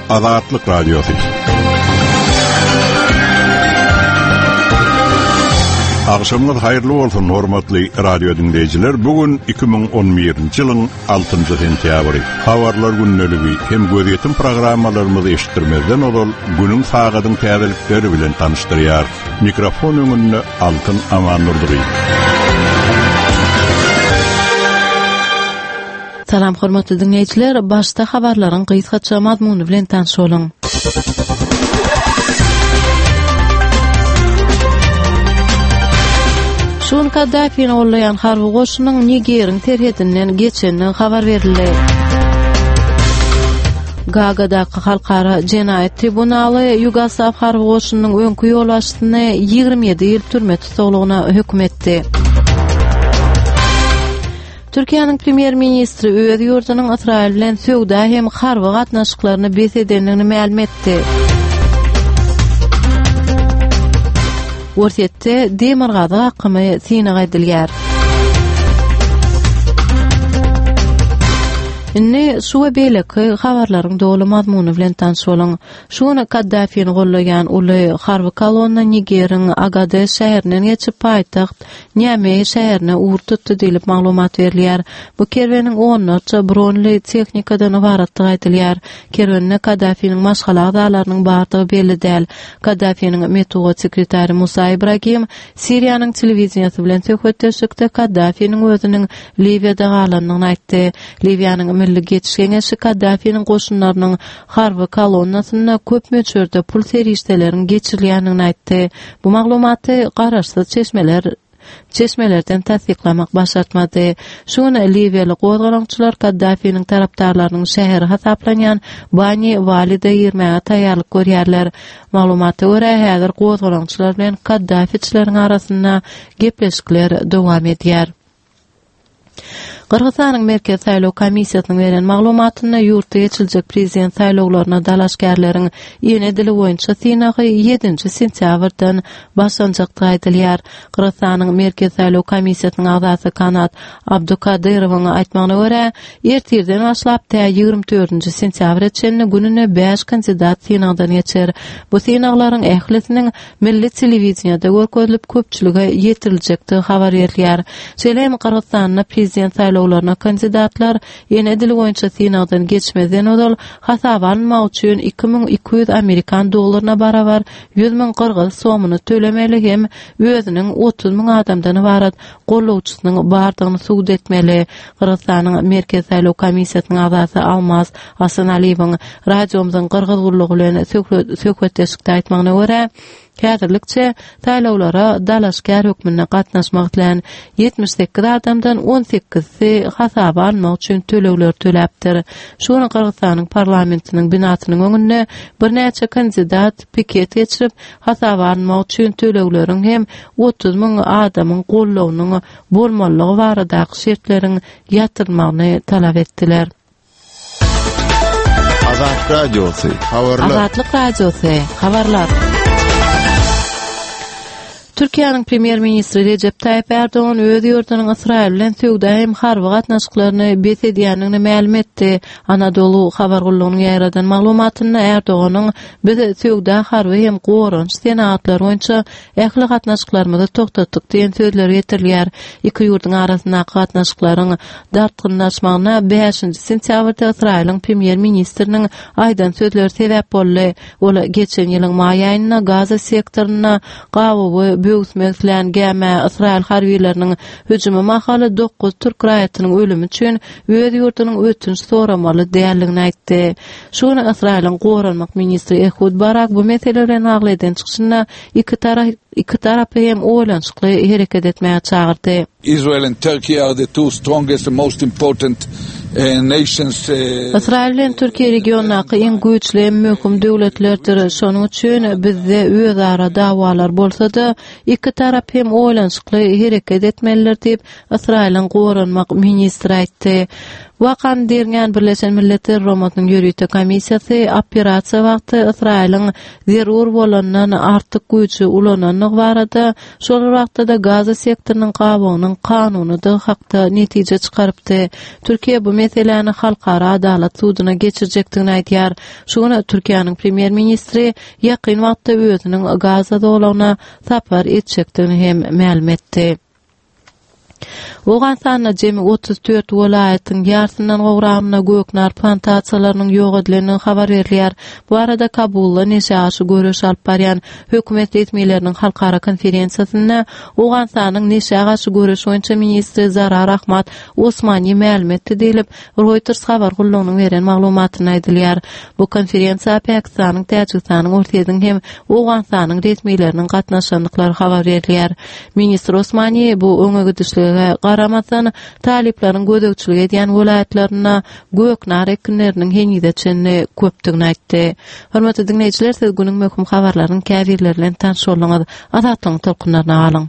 Azatlyk Radiosy. Agşamyňyz haýyrly bolsun, hormatly radio diňleýjiler. Bu gün 2011-nji ýylyň 6-njy sentýabry. Habarlar gündeligi hem gözýetim programmalarymyzy eşitdirmezden ozal günüň sagadyň täzelikleri bilen tanyşdyrýar. Mikrofon öňünde Altyn Amandurdyýew. Salam hormatly diňleýjiler, başda habarlaryň gysgaça mazmuny bilen tanyş boluň. Şu gün Kaddafini gollaýan harby goşunyň Nigeriň serhedinden geçendigi habar berildi. Gagadaky Halkara jenaýat tribunaly Ýugoslaw harby goşunynyň öňki ýolbaşçysyny 27 ýyl türme tussaglygyna höküm etdi. Türkiýäniň premýer-ministri öz ýurdunyň Ysraýyl bilen söwda hem harby gatnaşyklaryny bes edendigini mälim etdi. Orsýetde demirgazyk akymy synag edilýär. Indi şu we beýleki habarlaryň doly mazmuny bilen tanyş boluň. Şu gün Kaddafini gollaýan uly harby kolonna Nigeriň Agades şäherinden geçip paýtagt Niameý şäherine ugur tutdy diýlip maglumat berilýär. Bu kerweniň onlarça bronly tehnikadan ybaratdygy aýdylýar. Kerwende Kaddafiniň maşgala agzalarynyň bardygy belli däl. Kaddafiniň metbugat sekretary Musa Ibragim Siriýanyň telewideniýesi bilen söhbetdeşlikde Kaddafiniň özüniň Liwiýada galandygyny aýtdy. Liwiýanyň Milli geçiş geňeşi Kaddafiniň goşunlarynyň harby kolonnasynda köp möçberde pul serişdeleriň geçirilýändigini aýtdy. Bu maglumaty garaşsyz çeşmeler çeşmelerden tassyklamak başartmady. Şu gün liwiýaly gozgalaňçylar Kaddafiniň tarapdarlarynyň şäheri hasaplanýan Bani Walide girmäge taýýarlyk görýärler. Maglumata görä, häzir gozgalaňçylar bilen kaddafiçileriň arasynda gepleşikler dowam edýär. Gyrgyzystanyň Merkezi saýlaw komissiýasynyň beren maglumatynda ýurtda geçiriljek prezident saýlawlaryna dalaşgärleriň ene dili boýunça synagy ýedinji sentýabrdan başlanjakdygy aýdylýar. Gyrgyzystanyň Merkezi saýlaw komissiýasynyň agzasy Kanat Abdukadyrowyň aýtmagyna görä, ertirden başlap tä 24-nji sentýabra çenli gününe bäş kandidat synagdan geçer. Bu synaglaryň ählisiniň milli telewideniýede görkezilip, köpçülige ýetiriljekdigi habar berilýär. Şeýle hem Gyrgyzystanda prezident saýlawlaryna kandidatlar ene dili boýunça synagdan geçmezden ozal hasaba alynmak üçin 2200 amerikan dollaryna barabar 100 müň gyrgyz somyny tölemeli hem özüniň 30 müň adamdan ybarat gollawçysynyň bardygyny subut etmeli. Gyrgyzystanyň Merkezi saýlaw komissiýasynyň agzasy Almaz Asanaliýewiň radiomyzyň Gyrgyz gullugy bilen söhbetdeşlikde aýtmagyna görä, häzirlikçe saýlawlara dalaşgär hökmünde gatnaşmak islän 78 adamdan on sekizisi hasaba almak üçin tölegleri töläpdir. Şu gün Gyrgyzystanyň parlamentiniň binasynyň öňünde birnäçe kandidat piket geçirip, hasaba alynmak üçin tölegleriň hem 30 müň adamyň goldawynyň bolmalydygy baradaky şertleriň ýatyrylmagyny talap etdiler. Azat Radiosy, habarlar. Azatlyk Radiosy, habarlar. Türkiýäniň premýer-ministri Rejep Taýyp Ärdogan öz ýurdunyň Ysraýyl bilen söwda hem harby gatnaşyklaryny bes edýändigini mälim etdi. Anadolu habar gullugynyň ýaýradan maglumatynda Ärdoganyň Biz söwda, harby hem goranyş senagatlary boýunça ähli gatnaşyklarymyzy togtatdyk diýen sözleri getirilýär. Iki ýurduň arasyndaky gatnaşyklaryň dartgynlaşmagyna bäşinji sentýabrda Ysraýylyň premýer-ministriniň aýdan sözleri sebäp boldy. Ol geçen ýylyň maý aýynda Gaza sektorynda gabawy böwüsmek islän gämä ysraýyl harbylarynyň hüjümi mahaly dokuz türk raýatynyň ölümi üçin öz ýurdunyň ötünç soramaly däldigini aýtdy. Şu gün Ysraýylyň goranmak ministri Ehud Barak bu mesele bilen bagly eden çykyşynda iki tarapy hem oýlanyşykly hereket etmäge çagyrdy. Israel and Turkey are the two strongest and most important nations. Ysraýyl bilen Türkiýe regiondaky iň güýçli hem möhüm döwletlerdir. Şonuň üçin bizde özara dawalar bolsa-da, iki tarap hem oýlanyşykly hereket etmelidir diýip, Ysraýylyň goranmak ministri aýtdy. Wakany derňän Birleşen Milletler Guramasynyň ýörite komissiýasy operasiýa wagty Ysraýylyň zerur bolandan artyk güýji ulanandygy barada, şol bir wagtda-da Gaza sektorynyň gabawynyň kanunydygy hakda netije çykarypdy. Türkiýe bu meseläni Halkara adalat suduna geçirjekdigini aýdýar. Şu gün Türkiýäniň premýer-ministri ýakyn wagtda özüniň Gaza zolagyna sapar etjekdigini hem mälim etdi. Owganystanda jemi 34 welaýatyň ýarsyndan gowragynda göknar plantasiýalarynyň ýok edilendigi habar berilýär. Bu barada Kabulda neşä garşy göreş alyp barýan hökümet resmileriniň halkara konferensiýasynda Owganystanyň neşä garşy göreş boýunça ministri Zarar Ahmad Osmani mälim etdi diýlip, Reuters habar gullugynyň beren maglumatynda aýdylýar. Bu konferensiýa Pakistanyň, Täjigistanyň, Orsýetiň hem Owganystanyň resmileriniň gatnaşandyklary habar berilýär. Ministr Osmani bu öňe gidişlige garamazdan, talyplaryň gözegçilik edýän welaýatlarynda göknar ekinleriniň henize çenli köpdügini aýtdy. Hormatly diňleýjiler, siz günüň möhüm habarlarynyň käbirleri bilen tanyş bolduňyz. Azatlygyň tolkunlaryna galyň!